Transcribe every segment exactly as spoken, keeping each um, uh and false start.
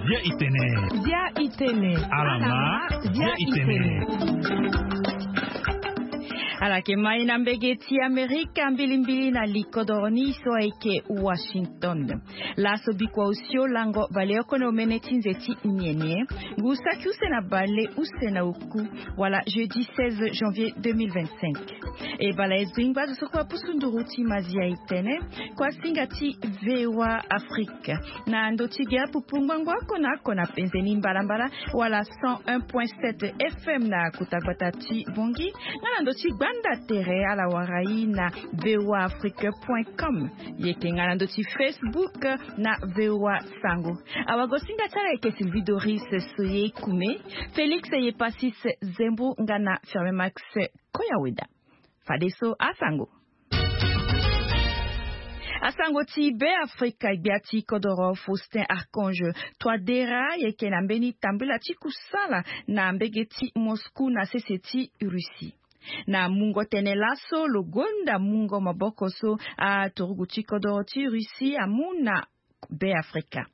Bia itene. Bia itene. Alama. Bia itene. Ala yeke mai na mbege ti Amerika mbilimbili na likodoro ni so ayeke Washington. Laso bikua osio lango baleoko na omene ti nze ti nienie. Ngu saki use na bale use na oku, wala jeudi seize janvier deux mille vingt-cinq. E bala e zo ingba azo so kue apusu nduru ti mazi ya itene. Kua singa ti VOA Afrique na ndo ti ge apupu ngbangbo oko na oko na penze ni mbalambala, wala cent un point sept F M na kota gbata ti Bongi, nga na ndo ti gbanda tere ala wara i na VOA Afrique point com. Yeke nga na ndo ti Facebook na VOA Sango. Awagosinga ti ala yeke Sylvie Doris Soye Kume, Félix Yepasis Zembo nga na Ferme Max Koyaweda. Fadeso asango. Asango ti Be Afrika, gbia ti kodoro Faustin Archange Touadéra yeke na mbeni tambula ti kusala na mbege ti Moscou na sese ti Russie. Na mungo tene laso lo gonda mungo maboko so aturugu ti kodoro ti Russie amu na Be Afrika.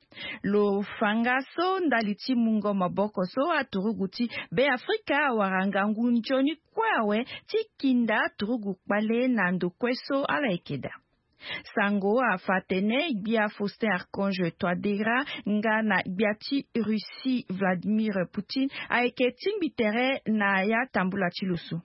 Lo fa nga so ndali ti mungo maboko so aturugu ti Be Afrika awara ngangu nzoni kue awe ti kinda aturugu kpale na ndo kue so ala yeke daa. Sango afa atene gbia Faustin Archange Touadéra nga na gbia ti Russie Vladimir Poutine ayeke tingbi tere na ya tambula ti lo so.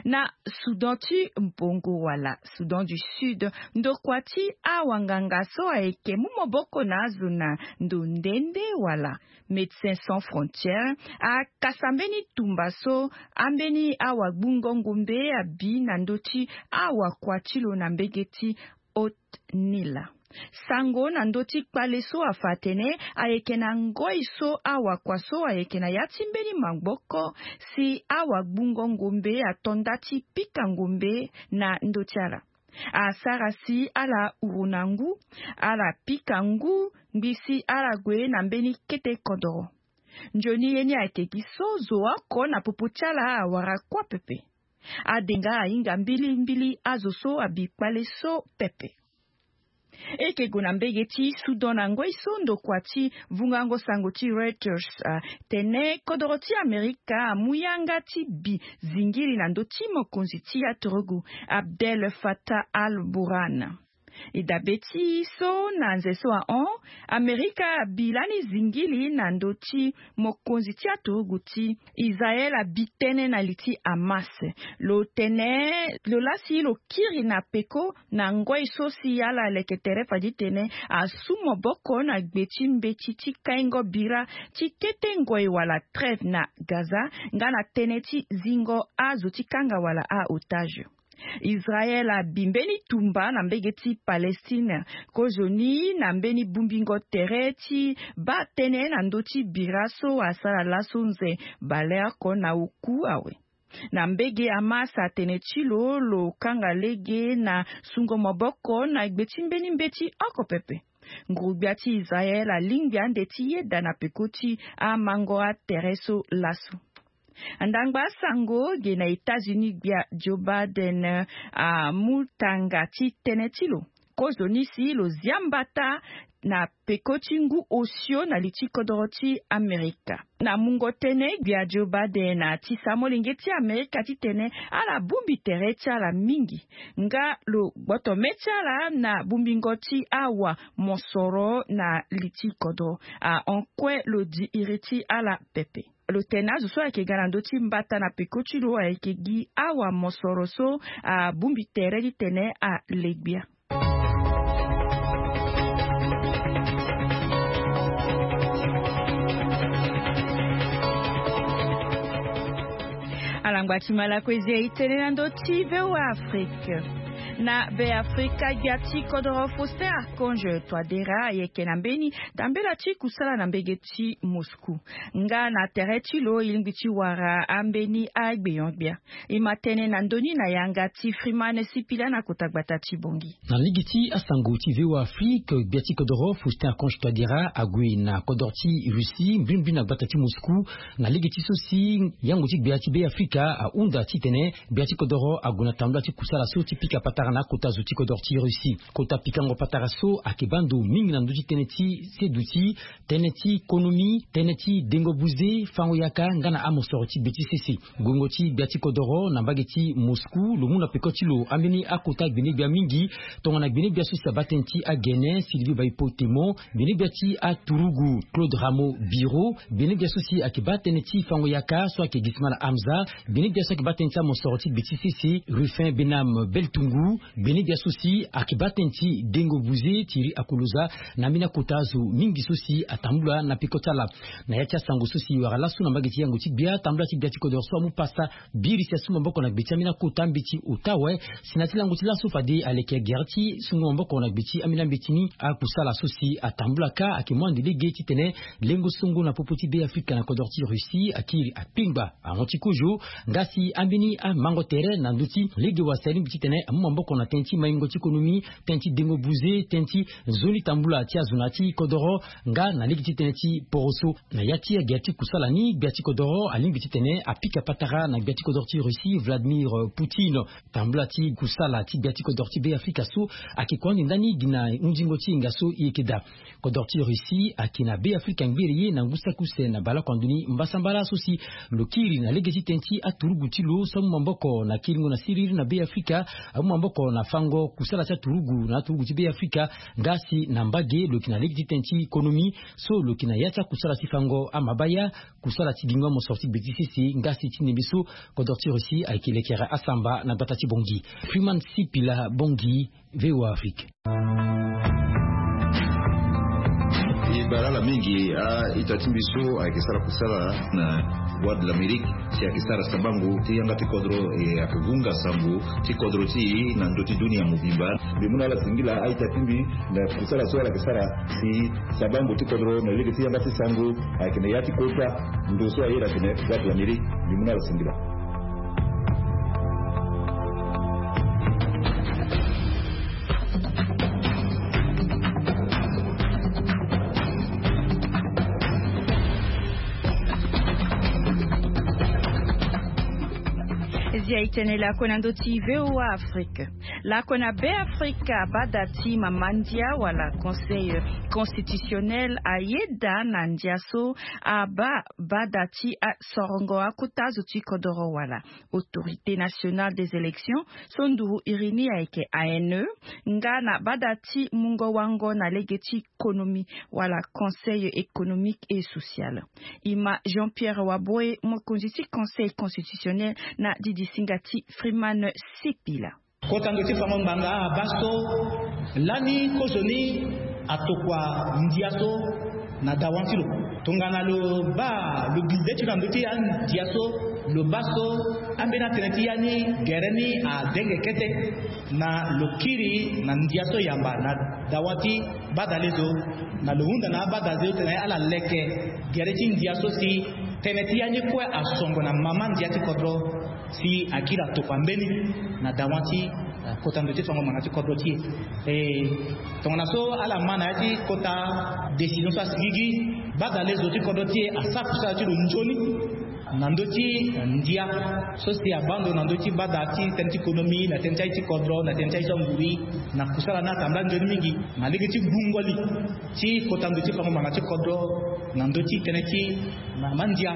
Na Soudan ti mbongo wala Soudan du Sud, ndokua ti awanganga so ayeke mu maboko na azo na ndo nde nde wala Médecins Sans Frontières akasa mbeni tumba so ambeni awagbungo ngombe abi na ndo ti awakua ti lo na mbege ti Haut-Nil. Sango na ndo ti kpale so afa atene ayeke na ngoi so awakua so ayeke na ya ti mbeni maboko si awagbungo ngombe ato nda ti pika ngombe na ndo ti ala. Asara si ala huru na ngu, ala pika ngu ngbi si ala gue na mbeni kete kodoro. Nzoni ye ni ayeke gi so zo oko na popo ti ala awara kuâ pepe. Adenga ahinga mbilimbili azo so abi kpale so pepe. E yeke gue na mbege ti Soudan na ngoi so ndokua ti vungango sango ti Reuters atene kodoro ti Amerika amu yanga ti bi zingiri na ndö ti mokonzi ti aturugu Abdel Fattah al-Burhan. E dabe ti so na nze so ahon, Amerika abi lani zingiri na ndö ti mokonzi ti aturugu ti Israel abi tënë na li ti Hamas. Lo tene lo laa si lo kiri na peko na ngoi so si ala leke tere fade ti tene asu maboko na gbe ti mbeti ti kaingo bira ti kete ngoi wala trêve na Gaza, nga na tënë ti zingo azo ti kanga wala a-otage. Israel abi mbeni tumba na mbege ti Palestine kozoni na mbeni bongbingo tere ti baa tënë na ndö ti bira so asara laso nze baleoko na oku awe. Na mbege Hamas atene ti lo, lo kanga lege na sungo maboko na gbe ti mbeni mbeti oko pepe. Nguru-gbia ti Israel alingbi ande ti yeda na peko ti amango atere so laso. Ndangba sango ge na États-Unis, gbia Joe Biden amu tanga ti tënë ti lo kozoni si lo zia mbata na peko ti ngu osio na li ti kodoro ti Amerika. Na mungo tënë, gbia Joe Biden atisa molenge ti Amerika titene ala bongbi tere ti ala mingi, nga lo gboto mê ti ala na bongbingo ti awa mosoro na li ti kodro. Ahon kue lo di iri ti ala pepe. Lo tene azo so ayeke ga na ndö ti mbata na peko ti lo ayeke gi awa mosoro so abongbi tere titene ale gbia. Alangba ti Malakozi aye tënë na ndö ti VOA Afrique. Na be afrika gbia ti kodoro faustin archange toidera ayeke na mbeni tambela ti kusala na mbege ti moscou, nga na tere ti lo e lingbi ti wara ambeni agbeon-gbia. E ma tene na ndoni na yanga ti freeman sipila na kota gbata ti bongi. Na lege ti asango ti voa afrique, gbia ti kodoro faustin archange toidera ague na kodoro ti russie mbrimbri na gbata ti moscou. Na lege ti so si yango ti gbia ti be afrika ahunda titene gbia ti kodoro ague na tambula ti kusala so ti pika patara na akota zo ti kodoro ti russie. Kota pikango patara so ayeke baa ndo mingi na ndö ti tënë ti seduti, tënë ti konomi, tënë ti dengo buze, fango yaka nga na amosoro ti gbe ti sese. Guengo ti gbia ti kodoro na mbage ti moscou lo mu na peko ti lo ambeni akota gbene-gbia mingi, tongana gbene-gbia so si abaa tënë ti agene sylvie baipotemo, gbene-gbia ti aturugu claude ramo biro, gbene-gbia so si ayeke baa tënë ti fango yaka so ayeke gismana hamza, gbene-gbia so ayeke baa tënë ti amosoro ti gbe ti sese ruffin benam beltungu, gbene-gbia so si ayeke baa tënë ti dengo buze thierry akoloza. Na ambeni akota azo mingi so si atambula na peko ti ala. Na ya ti asango so si e wara laso na mbage ti yango ti gbia tambula ti gbia ti kodoro so amu pasa biri si asu maboko na gbe ti ambeni akota mbeti ota awe. Si na ti lango ti laso fade aleke gere ti sungo maboko na gbe ti ambeni ambeti ni. Akusala so si atambula kâ ayeke mu ande lege titene lengo songo na popo ti be afrika na kodoro ti russie akiri akpengba ahon ti kozo. Nga si ambeni amango tere na ndö ti lege wasi alingbi titene amu maboko na tënë ti maingo ti konomi, tënë ti dengo buze, tënë ti nzoni tambula ti azo na ya ti kodoro, nga na lege ti tënë ti poroso. Na ya ti agere ti kusala ni gbia ti kodoro alingbi titene apika patara na gbia ti kodoro ti russie vladimir poutine. Tambula ti kusala ti gbia ti kodoro ti be afrika so ayeke kua ande ndani gi na hunzingo ti hinga so e yeke daa. Kodoro ti russie ayeke na be afrika ngbere ye na ngu saki use na baleoko ando ni mbasambala so si lo kiri na lege ti tënë ti aturugu ti lo so amu maboko na kiringo na siriri na be afrika, amu maboko na fango kusala ti aturugu na aturugu ti be afrika. Nga si na mbage lo yeke na lege ti tënë ti konomi so lo yeke na ya ti akusala ti fango amabaya, kusala ti gingo amosoro ti gbe ti sese nga si ti ndembe so kodoro ti russie ayeke lekere asamba na gbata ti bongi. Freeman sipila bongi, voa afrique. E bale ala mingi a-ita ti mbi so ayeke sara kusala na voie de l'amérique, si ayeke sara sabango ti yanga ti kodro e ayeke hunga sango ti kodro ti e na ndö ti dunia mobimba. Mbi mu na ala singila a-ita ti mbi na kusala so ala yeke sara si sabango ti kodro na lege ti yanga ti sango ayeke na ya ti kota ndo so aye na tene voie de l'amérique. Mbi mu na ala singila. Zia e tene lako na ndö ti voa afrique. Lako na be afrika bada ti mama ndia wala conseil constitutionnel ayeda na ndia so abaa bada ti sorongo akota zo ti kodoro wala autorité nationale des élections so nduru iri ni ayeke ane nga na bada ti mungo wango na lege ti konomi wala conseil économique et social. E ma jean pierre waboe mokonzi ti conseil constitutionnel na didisinga ti freeman sipila. Kota ndo ti fango ngbanga abaa so lani kozo ni atokua ndia so na dawa ti lo. Tongana lo baa lo bize ti lo na ndö ti andia so lo baa so ambeni atënë ti ya ni gere ni adenge kete na lo kiri na ndia so yamba na dawa ti bada lezo na lo hunda na abada zo tene ala leke gere ti ndia so si tënë ti ya ni kue asongo na mama ndia ti kodro si akiri atokua mbeni na dawa ti kota ndo ti fango ngbanga ti kodro ti e. Tongana so ala ma na ya ti kota décision so asigigi bada lezo ti kodro ti e asara kusala ti lo nzoni na ndö ti ndia so si abaa ndo na ndö ti bada ti tënë ti konomi na tënë ti aye ti kodro na tënë ti aye ti anguri na kusala ni atambula nzoni mingi na lege ti gbungo li ti kota ndo ti fango ngbanga ti kodro na ndö ti tënë ti mama ndia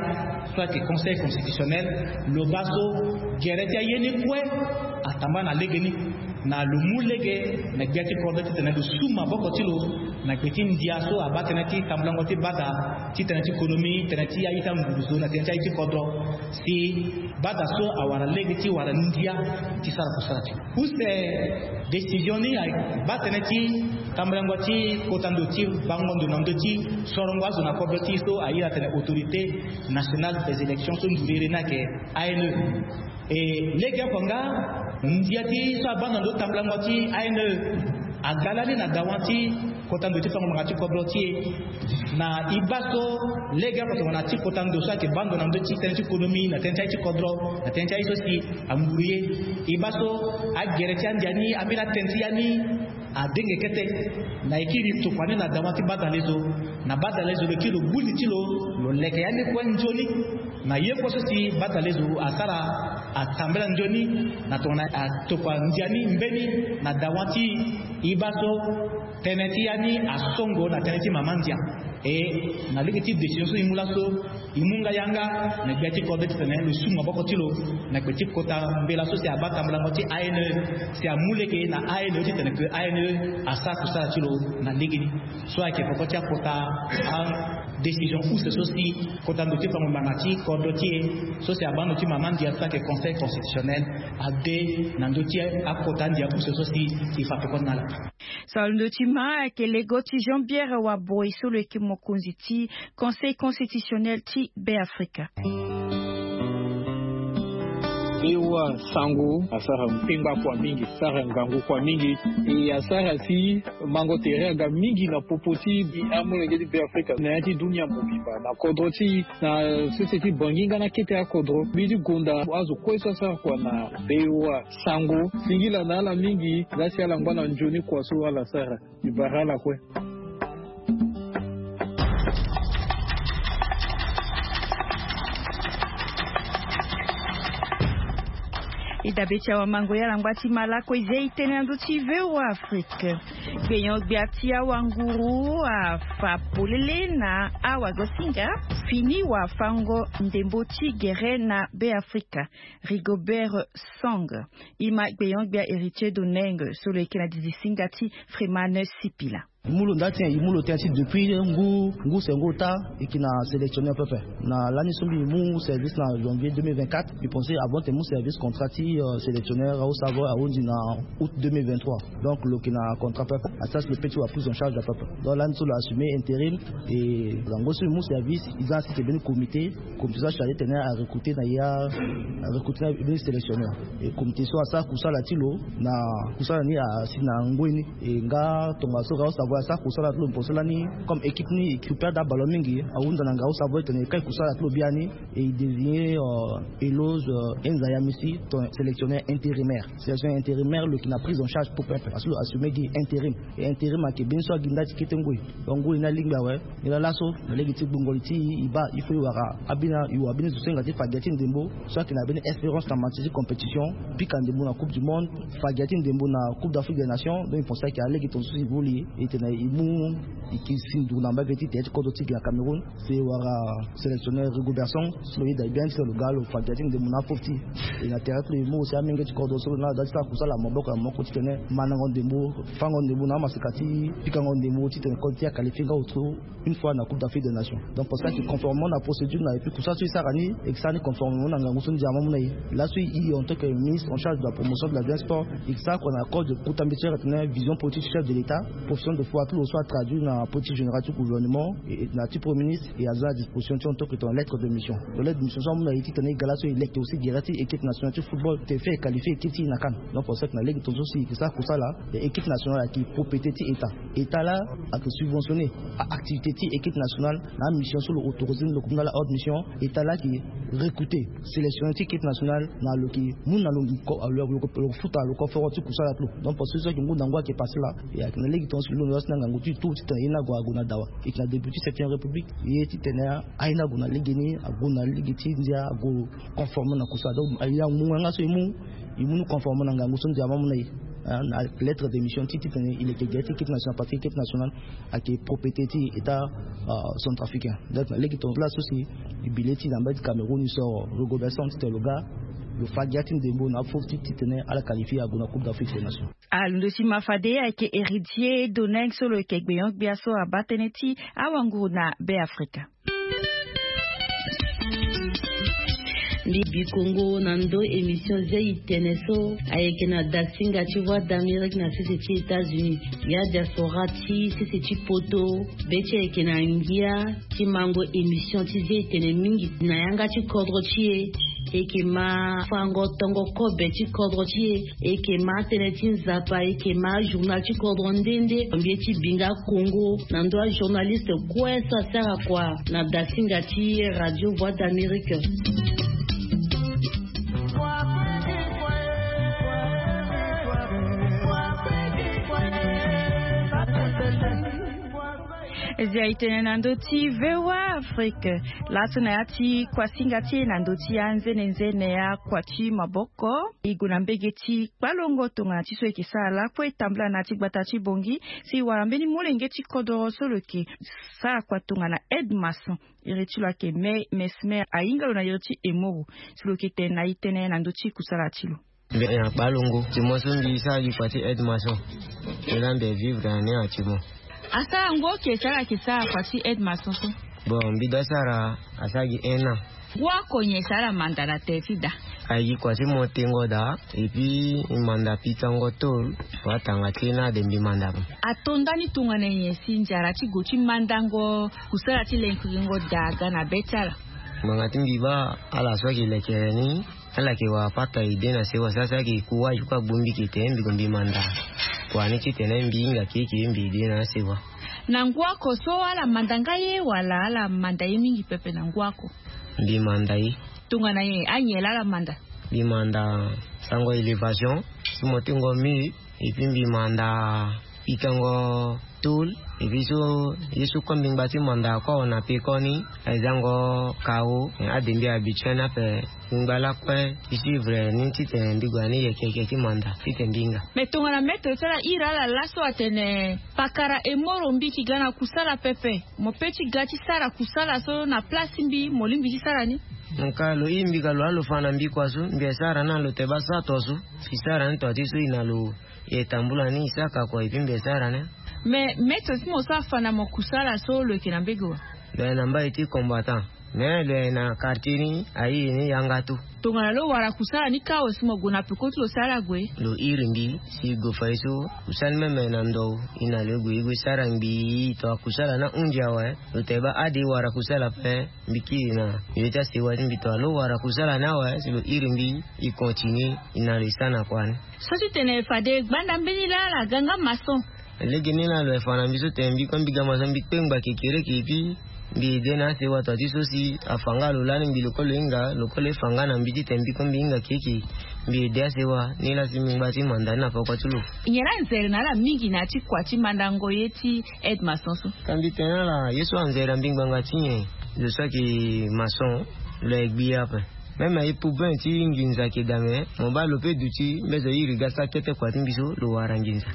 so ayeke conseil constitutionnel lo baa so gere ti aye ni kue atambula na lege ni na lo mu lege na gbia ti kodro titene lo su maboko ti lo na gbe ti ndia so abaa tënë ti tambulango ti bada ti tënë ti konomi tënë ti aye ti anguru zo na tënë ti aye ti kodro si bada so awara lege ti wara ndia ti sara kusala ti lo. Use décision ni abaa tënë ti tambulango ti kota ndo ti bango ndo na ndö ti sorongo azo na kodro ti e so aye na tene autorité nationale des élections so nduru iri ni ayeke ane. E legeoko nga Ndia ti so abaa na ndo tambulango ti ane aga lani na dawa ti kota ndo ti fango manga ti kodro ti e. Na e baa so lege ako tongana ti kota ndo so ayeke baa ndo na ndö ti tënë ti konomi na tënë ti aye ti kodro na tënë ti aye so si anguru ye. E baa so agere ti andia ni ambeni atënë ti ya ni adenge kete. Na e kiri tokua ni na dawa ti badalezo. Na badalezo lo kiri lo gbu li ti lo. Lo leke ya ni kue nzoni. Na ye kue so si badalezo asara atambela nzoni na tongana atokua ndia ni mbeni na dawa ti e baa so tënë ti ya ni asongo na tënë ti mama ndia. E na lege ti décision so e mu laso e mu nga yanga na gbia ti kodro titene lo su maboko ti lo na gbe ti kota mbela so si abaa tambulango ti ane si amu lege na ane titene ke ane asara kusala ti lo na lege ni. So ayeke peko ti akota adécision use so si kota ndo ti fango mbanga ti kodro ti e so si abaa ndo ti mama ndia so ayeke conseil constitutionnel ade na ndö ti akota ndia use so si e fa peko ti na ala. So alondo ti ma ayeke lego ti Jean Pierre Waboy so lo yeke mokonzi ti conseil constitutionnel ti Beafrika. Bewa sango asara mpengba kua mingi, sara ngangu kua mingi. E asara si mango tere aga mingi na popo ti amolenge ti Beafrika na ya ti dunia mobimba na kodro ti na sese ti bangi nga na kete akodro mbi ti gonda azo kue so asara kua na Bewa sango singila na ala mingi. Nga si ala ngba na nzoni kua so ala sara. Mbi bara ala kue. E dabe ti awamango ya langba ti malako e zia e tene na ndö ti Voa Afrique. Gbenyo-gbia ti awanguru afa polele na awagosinga fini wafango ndembo ti gere na Beafrika. Rigobert Song e ma gbenyo-gbia Héritier Doneng so lo yeke na dizi singa ti Freeman Sipila. E mu lo nda ti nyen? E mu lo tënë ti depuis ngu ngu sengo ota e yeke na sélectionner pepe na lani so mbi mu service na janvier deux mille vingt-quatre. Mbi pense avant ti mu service contrat ti sélectionner au savoie ahunzi na août deux mille vingt-trois. Donc lo yeke na contrat pepe asara si lo pe ti wa prise en charge ya pepe. Donc lani so lo assumer intérim. E zango so mbi mu service e za na si ti mbeni comité. Comité so acharge tene arecruter na ya arecruter na mbeni sélectionner. E comité so asara kusala ti lo na kusala ni asi na ngoi ni. E nga tongaso ga osavo asara kusala ti lo mposo lani comme équipe ni équipe ada ballon mingi ahunda na nga osavo etene kai kusala ti lo biani. E désigner elose enzayamisi ton sélectionner intérimaire. Sélectionner intérimaire lo yeke na prise en charge pour pepe parce que lo assumer gi intérim. E intérim ayeke mbeni so agi nda ti kete ngoi. Donc ngoi ni alingbi awe. Ni laa laso na lege ti gbongoli ti e e baa il faut e wara abini e wara mbeni zo so hinga ti fa gia ti ndembo so ayeke na mbeni expérience na matière ti compétition. Pika ndembo na coupe du monde fa gia ti ndembo na coupe d'afrique des nations. Donc e pense ayeke alege tongaso si e voli e tene e mu e yeke si nduru na mbage ti tere ti kodro ti gi na Cameroun. Si e wara sélectionner Rigobertson so lo yeda e bien ti lo ga lo fa gia ti ndembo na afofti. E na tere ti lo e mu aussi amenge ti kodro so lo na lo da ti sara kusala maboko na maboko titene mandango ndembo fango ndembo na amaseka ti pikango ndembo titene kodro ti e aqualifie nga auto une fois na coupe d'afrique des nations. Donc parce que ayeke conformément na procédure na et puis kusala so e sara ni e yeke sara ni conformément na ngangu so ndia ma mu na e. Laso e en tant que ministre en charge de la promotion de la jeunesse sport e yeke sara kua na code de kuta mbeti so ayeke tene vision politique chef de l'état. Profession de foi ti lo so atraduire na politique générale ti gouvernement na ti premier ministre e aza na disposition ti en tant que tongana lettre de mission. Donc lettre de mission so amu na e titene e ga laso e leke aussi gere ti équipe nationale ti football te fait e qualifier équipe ti e na CAN. Donc pour ça na lege tongaso si e yeke sara kusala. Équipe nationale ayeke propriété ti état. État laa ayeke subventionner activité ti équipe nationale na amission so lo autoriser ni lo comme na ala haute mission. État laa ayeke recruter sélectionner ti équipe nationale na lo yeke mu na lo lo yeke futa lo conférence ti kusala ti lo. Donc parce que so ayeke ngu na ngu ayeke passé laa. E ayeke na lege tongaso si lo londo laa si na ngangu ti e tout titene aye ni ague ague na dawa. E yeke na début ti septième république ye titene aye ni ague na legeni ague na lege ti ndia ague conforme na kusala. Donc aye ni amu nga so e mu e mu ni conforme na ngangu so ndia ma mu na e. Na lettre de mission ti titene e leke gere ti équipe nationale parce que équipe nationale ayeke propriété ti état centrafricain. Donc na lege tongaso laa so si e bi le ti na mbage ti Cameroun e soro Rigobertson titene lo ga lo fa gia ti ndembo na afofti titene ala qualifie ague na coupe d'afrique des nations. Alondo ti ma fade ayeke Héritier Doneng so lo yeke gbenyo-gbia so abaa tënë ti awanguru na Beafrika. Mbi bi kongo na ndo émission zia e tene so ayeke na dasinga ti voix d'Amérique na sese ti États-Unis. Ya diaspora ti sese ti poto be ti ayeke na ngia ti mango émission ti zia e tene mingi na yanga ti kodro ti e. Eke ma fango tongo kobe ti kodro ti e, eke ma tënë ti nzapa, eke ma journal ti kodro nde nde mbi ye ti binga kongo na ndö ajournaliste kue so asara kua na dasinga ti radio voix d'amérique. Ezia itene na ndö ti voa afrique. Laso na ya ti kuasinga ti e na ndö ti anzenenzene ya kua ti maboko, e gue na mbege ti kpalongo tongana ti so e ke sara lakue e tambula na ya ti gbata ti bongi si e wara mbeni molenge ti kodoro so lo ke sara kua tongana aide maçon. Iri ti lo ayeke me mesmer ahinga lo na iri ti emoro si lo ke tene na e tënë na ndö ti kusala ti lo. Mbi na kpalongo ti mo so mbi sara gi kua ti aide maçon. Mbi la mbi vivre na ni na ti mo. Asara ngu oke sara ke sara kua ti aide maçon so? Bon, mbi da sara asara gi un an. Ngu oko nyen sara manda na tere ti da? Aye gi kua ti mo tengo da. Epuis manda pikango tol. Wa tanga ti na de mbi manda mo. Ato ndani tongana nyen si nzara ti go ti mandango kusala ti lenkiringo da aga na be ti ala? Ngbanga ti mbi baa ala so ayeke lekere ni. Ala yeke wara pata ede na sewa sasa ayeke ku waju kue agbu mbi ke tene mbi gue mbi manda. Kua ni titene mbi hinga keke mbi ede na asewa. Na ngu oko so ala manda nga ye wala ala manda ye mingi pepe na ngu oko? Mbi manda ye. Tongana nyen anyen laa ala manda? Mbi manda sango élévation. Si mo tengo mur. Epuis mbi manda pikango tol. Epuis so ye so kue mbi ngba ti manda kue awe na pekoni. Aye zango kao ade mbi habitué ni ape. Mbi ngba lakue ti suivre ni titene mbi gue na ni yeke yeke ti manda titene mbi hinga. Mais tongana maître ti ala iri ala laso atene pakara emoro mbi ki ga na kusala pepe, mo pe ti ga ti sara kusala so na place ti mbi mo lingbi ti sara ni? Nka lo iri mbi ka lo ala lo fa na mbi kua so mbi esara ni na lo te baa sa to so. Mbi sara ni to ti so e na lo. E tambula ni e saka kua epuis mbi esara ni. Mais maître ti mo so afa na mo kusala so lo yeke na mbege wa? Lo yeke na mbage ti combattant. Mais lo yeke na quartier ni airi ni yanga tu. Tongana lo wara kusala ni kâ awe si mo gue na peko ti lo si ala gue? Lo iri mbi si e gue fa ye so. Kusala ni meme na ndo e na lo e gue e gue sara ngbii. Tongana kusala ni ahunzi awe lo te baa ade e wara kusala ape. Mbi kiri na yo ti asewa ti mbi tongana lo wara kusala ni awe si lo iri mbi. E continue e na lo e sara na kua ni. So ti tene fade gbanda mbeni laa ala ga nga maçon. Lege ni laa lo yeke fa na mbi so tene mbi kue mbi ga maçon mbi kpengba kekereke epuis mbi ede na asewa to ti so si afa nga lo lani mbi lo kue lo hinga lo kue lo ye fa nga na mbi titene mbi kue mbi hinga keke. Mbi ede asewa ni laa si mbi ngba ti manda ni na poko ti lo. Nyen laa anzere na ala mingi na ya ti kua ti mandango ye ti aide maçon so? Ka mbi tene na ala ye so anzere na mbi ngbanga ti nyen? Lo so ayeke maçon lo yeke gbi ape. Même aye poubin ti nginza ayeke dame mo baa lo pe duti mbezo iri ga sa kete kua ti mbi so lo wara nginza.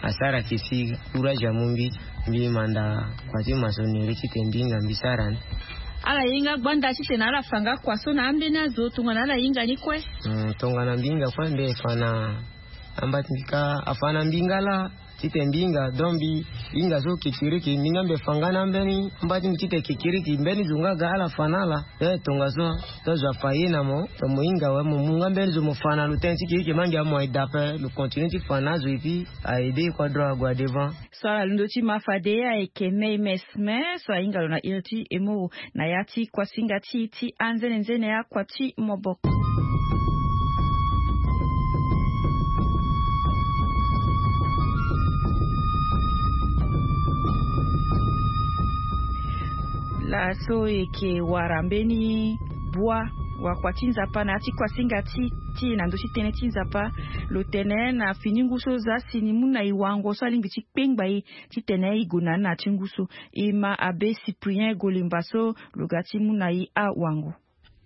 Asara ayeke si courage amu mbi. Mbi manda kua ti maçonnerie titene mbi hinga mbi sara ni. Ala hinga gbanda titene ala fa nga kua so na ambeni azo tongana ala hinga ni kue? Tongana mbi hinga kue mbi fa na amba ti mbi kâ afa na mbi nga laa. Titene mbi hinga donc mbi hinga so kekereke mbi nga mbi fa nga na ambeni amba ti mbi titene kekereke mbeni zo nga aga ala fa na ala. Eh tongaso. To zo afa ye na mo to mo hinga awe mo mu nga mbeni zo mo fa na lo tënë ti kekereke ma ngia mo aye da ape lo continue ti fa na azo epuis aye de ye kua droit ague adevant. So ala londo ti ma fade ayeke mei mesme so ahinga lo na iri ti emoro na ya ti kuasinga ti e ti anzenenzene akua ti moboko. Laso eke wara mbeni bua wakua ti nzapa na ya ti kuasinga ti ti na ndö ti tënë ti nzapa. Lo tene na fini ngu so za si ni mu na e wango so alingbi ti kpengba e titene e gue na ni na ya ti ngu so. E ma abe cyprien golimba so lo ga ti mu na e awango.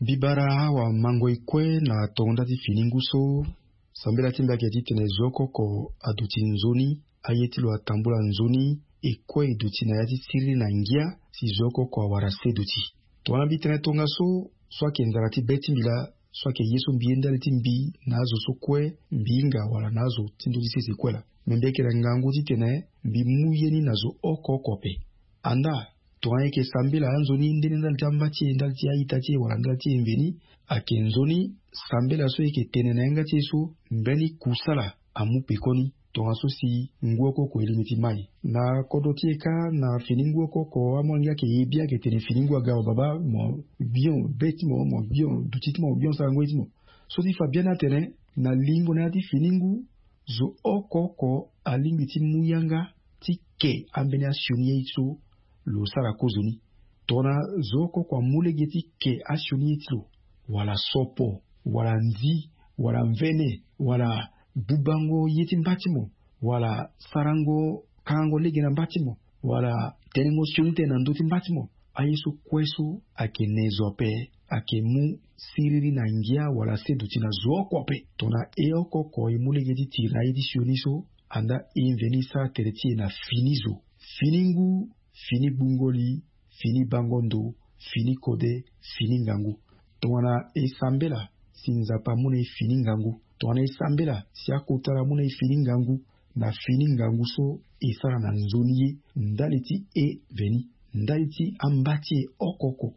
Mbi bara awamango e kue na tongo nda ti fini ngu so. Sambela ti mbi ayeke titene zo oko oko aduti nzoni. Aye ti lo atambula nzoni e kue e duti na ya ti siriri na ngia. Si zo oko oko awara se duti. Tongana mbi tene tongaso so ayeke nzara ti be ti mbi laa so ayeke ye so mbi ye ndali ti mbi na azo so kue mbi hinga wala na azo ti ndö ti sese kue laa. Me mbi yeke na ngangu titene mbi mu ye ni na zo oko oko ape. Andaa tongana e yeke sambela anzoni nde ni ndali ti amba ti e ndali ti a-ita ti e wala ndali ti e mveni. Ayeke nzoni sambela so e yeke tene na yanga ti e so mbeni kusala amu pekoni. Tongaso si ngu oko oko e lingbi ti mai na kodro ti e kâ na fini ngu oko oko amolenge ayeke ye bi ayeke tene fini ngu aga wa baba mo gbio be ti mo mo gbio duti ti mo mo gbio sarango ye ti mo. So ti fa biani atene na lingo na ya ti fini ngu zo oko oko alingbi ti mu yanga ti ke ambeni asioni ye ti so lo sara kozoni. Tongana zo oko oko amu lege ti ke asioni ye ti lo wala sopo wala nzi wala mvene wala bubango ye ti mba ti mo wala sarango kangango lege na mba ti mo wala tenengo sioni tënë na ndö ti mba ti mo. Aye so kue so ayeke ne zo ape ayeke mu siriri na ngia wala se duti na zo oko ape. Tongana e oko oko e mu lege ti tiri na aye ti sioni so anda e mveni sara tere ti e na fini zo, fini ngu, fini gbungoli, fini bango ndo, fini kode, fini ngangu. Tongana e sambela si Nzapa amu na e fini ngangu, tongana e sambela si akota ala amu na e fini ngangu, na fini ngangu so e sara na nzoni ye ndali ti e mveni, ndali ti amba ti e oko oko,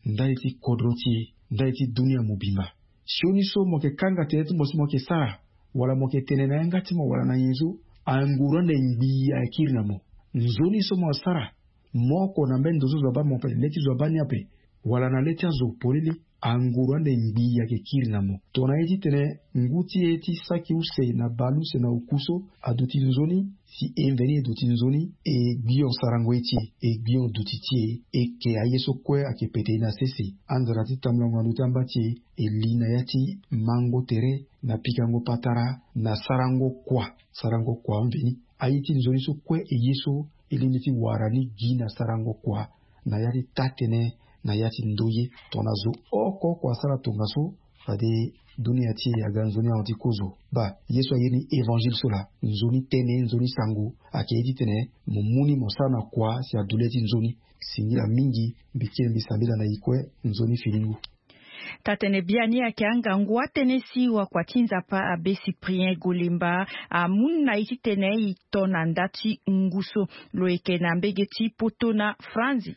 ndali ti kodro ti e, ndali ti dunia mobimba. Sioni so mo yeke kanga tënë ti mo si mo yeke sara wala mo yeke tene na yanga ti mo wala na nyen so anguru ande ngbii ayeke kiri na mo. Nzoni so mo asara mo oko na mbeni ndo so zo abaa mo ape le ti zo abaa ni ape wala na le ti azo polele, anguru ande ngbii ayeke kiri na mo. Tongana ye titene ngu ti e ti saki use na baleuse na oku so aduti nzoni, si e mveni e duti nzoni, e gbio sarango ye ti e, e gbio duti ti e, e ke aye so kue ayeke pete e na sese. Anzara ti tambulango na ndö ti amba ti e, e li na ya ti mango tere, na pikango patara, na sarango kua, sarango kua amveni. Aye ti nzoni so kue e ye so e lingbi ti wara ni gi na sarango kua na ya ti taa-tënë, na ya ti ndoye. Tongana zo oko oko asara tongaso, fade dunia ti e aga nzoni ahon ti kozo. Baa ye so aye ni évangile so laa, nzoni tënë, nzoni sango. Ayeke ye titene mo mu ni mo sara na kua si adu le ti nzoni. Singila mingi. Mbi ti e mbi sambela na e kue. Nzoni fini ngu. Tatene biani ayeke angangu atënë si wakua ti Nzapa abe Cyprien Golemba amu na e titene e to na nda ti ngu so. Lo yeke na mbege ti poto na Franzi.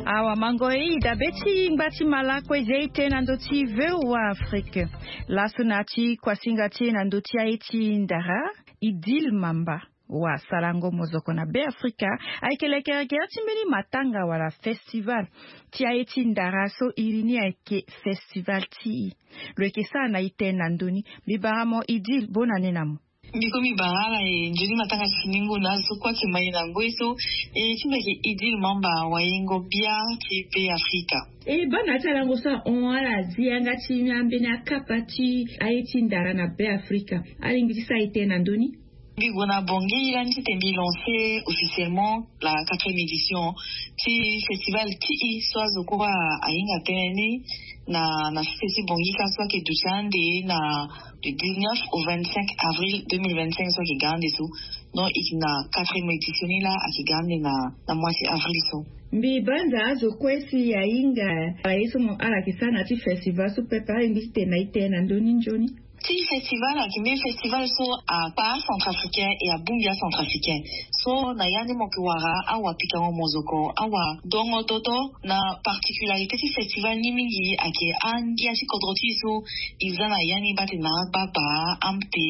Awa mango e, e dabe ti ngba ti mala kue e zia e tënë na ndö ti V O A Afrique. Laso na ya ti kuasinga ti e na ndö ti aye ti ndara, Idil Mamba, wasalango mozoko na Be Afrika, ayeke lekerekere ti mbeni matanga wala festival ti aye ti ndara so iri ni ayeke festival ti e. Lo yeke sara na e tënë na ndö ni. Mbi bara mo Idil, bonane na mo. Mbi ko mbi bara ala e nzoni matanga ti finingu na azo so kue ayeke ma e na ngoi so. E ti mbi ayeke Idil Mamba, wayengo bia ti Be Afrika. E baa na ya ti alango so ahon ala zi yanga ti ambeni akapa ti aye ti ndara na Be Afrika. Alingbi ti sara e tënë na ndö ni. Mbi gue na Bangui lani titene mbi lancer officiellement la quatrième édition ti festival ti e so azo kue ahinga tënë ni na, na sese ti Bangui ka so ayeke duti ande na du dix-neuf au vingt-cinq avril deux mille vingt-cinq so ayeke ga ande so. Donc e yeke na quatrième édition ni laa ayeke ga ande na, na mois ti avril so. Mbi banza azo kue si ahinga ala ye so mo ala yeke sara na ya ti festival so pepe, alingbi titene na e tënë na ndö ni nzoni. Ti festival ayeke mbeni festival so akpara acentrafricain e abongbi acentrafricain. So na ya ni mo yeke wara awapikango mozoko, awandongo toto. Na particularité ti festival ni mingi ayeke angia ti kodro ti e so e za na ya ni baa tene na agbagba, amte,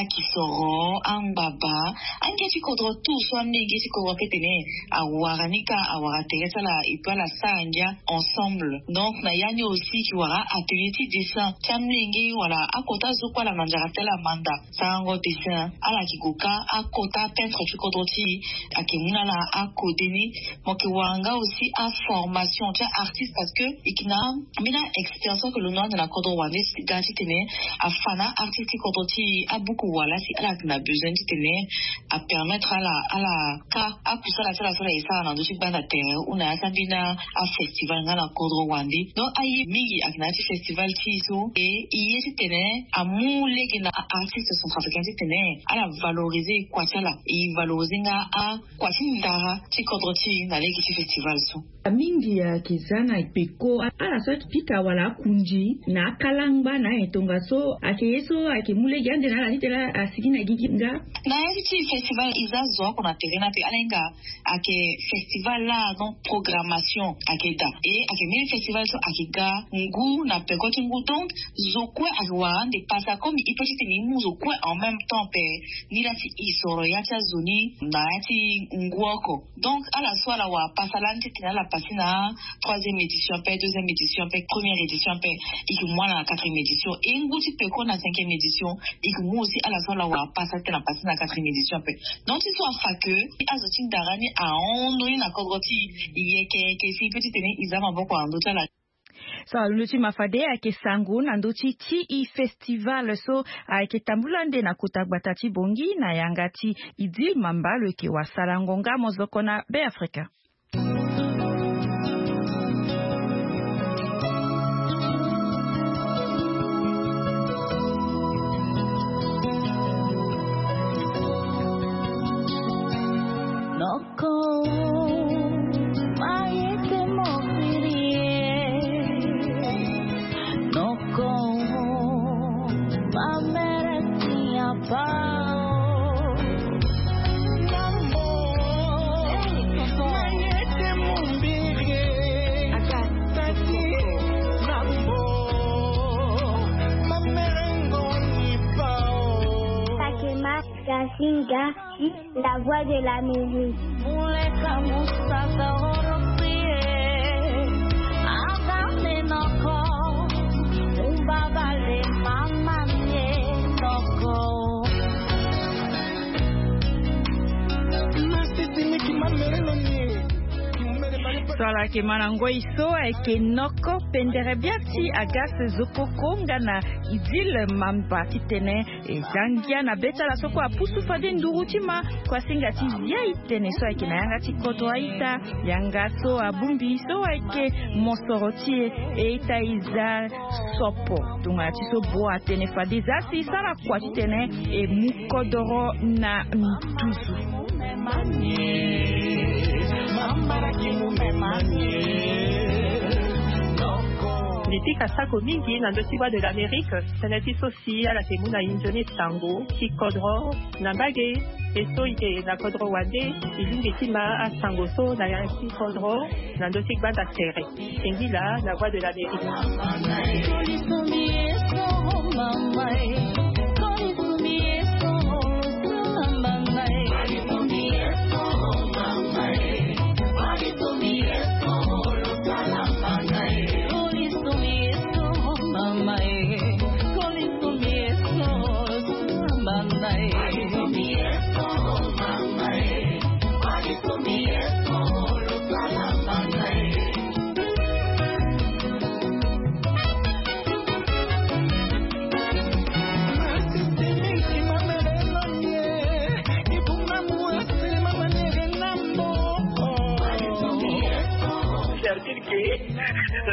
akisoro, angbaba, angia ti kodro tout so amenge ti kodro ape tene awara ni ka, awara tere ti ala e pe ala sara ngia ensemble. Donc na ya ni aussi e wara atelier ti dessin ti amenge wala akota zo kue ala manzara ti ala manda sarango dessin. Ala yeke gue ka akota peintre ti kodro ti e ayeke mu na ala akode ni. Mo yeke wara nga aussi aformation ti aartiste parce que e yeke na ambeni aexpérience so ayeke londo ande na kodro wande si ga titene afa na aartiste ti kodro ti e abuku wala si ala yeke na besoin titene apermettre ala, ala ka akusala ti ala so ala yeke sara na ndö ti gbanda tere ou na ya ti ambeni afestival nga na kodro wande. Donc aye mingi ayeke na ya ti festival ti e so e, e ye titene Amu lege na artiste centrafricain ti tene ala valoriser kua ti ala, e valoriser nga akua ti ndara ti kodro ti e na lege ti festival so. Mingi ayeke za na peko ala so ayeke pika wala akunzi na akalangba na aye tongaso ayeke ye so ayeke mu lege ande na ala titene asigi na gigi nga. Na ya ti festival e za zo oko na tere ni ape ala hinga ayeke festival la donc programmation ayeke daa e ayeke mbeni festival so ayeke ga ngu na peko ti ngu donc zo kue ayeke wara ande pasa comme e pe titene e mu zo kue en même temps pe ni la ti e soro ya ti azo ni na ya ti ngu oko. Donc ala so ala wara pasa lani titene ala pase na troisième édition pe deuxième édition pe première édition pe e ke mu ala na quatrième édition e ngu ti peko na cinquième édition e ke mu aussi ala so ala wara pasa titene ala pase na quatrième édition pe. Donc ti so afa ke azo ti ndara ni ahon ndoni na kodro ti e yeke yeke si e pe titene e za maboko na ndö ti ala. So alondo ti ma fade ayeke sango na ndö ti ti e festival so ayeke tambula nde na kota gbata ti bongi na yanga ti idil mamba lo yeke wasala ngonga mozoko na be afrika. Noko, ma yete mokiri e. Noko, ma mere ti apa o. Noko, ma yete mombiri e. Tati, noko, ma mere ngoni pa o. Takema Gasinga. La voix de l'Amérique. So ala yeke ma na ngoi so ayeke noko pendere bia ti Agas Zokoko nga na Idil Mamba titene e za ngia na be ti ala so kue apusu fade nduru ti ma kua singa ti zia e tene so ayeke na yanga ti kodro a-ita. Yanga so abongbi so ayeke mosoro ti e e-ita e za sopo tongana ti so bo atene fade za si e sara kua titene e mu kodoro na nduzu. Mbi pika sako mingi na ndö ti Voix de l'Amérique tënë ti so si ala yeke mu na e nzoni sango ti kodro na mbage. E so e yeke na kodro wande e lingbi ti ma asango so na ya ti kodro na ndö ti gbanda tere. Singila, la voix de l'Amérique. Cercle ke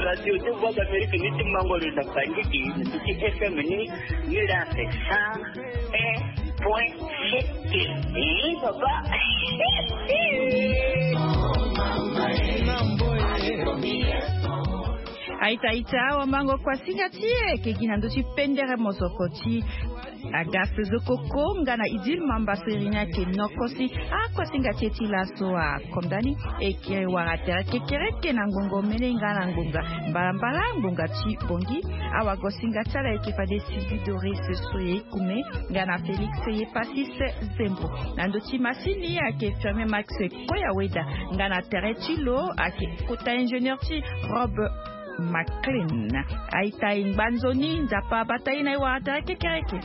radio de voix d'Amérique ni ti mango lo na bangiki ni ti F M ni ni la fait cent un point sept. Eh, papa. Aita aita awa mango kua singa ti e ke gi na ndö ti pendere mozoko ti Agas Zokoko nga na Idil Mamba so iri ni ayeke noko si akua singa ti e ti laso akonda ni. E ke wara tere kekereke na ngongo mene nga na ngonga mbalambala ngonga ti bongi. Awago singa ti ala eke fade Sylvie Doris Soye Kume nga na Félix Yepasis Zembo. Na ndö ti masini ayeke Firmin Max Koyaweda nga na tere ti lo ayeke kota ingénieur ti Rob McLean. Aita e ngba nzoni Nzapa abata e na e wara tere kekereke.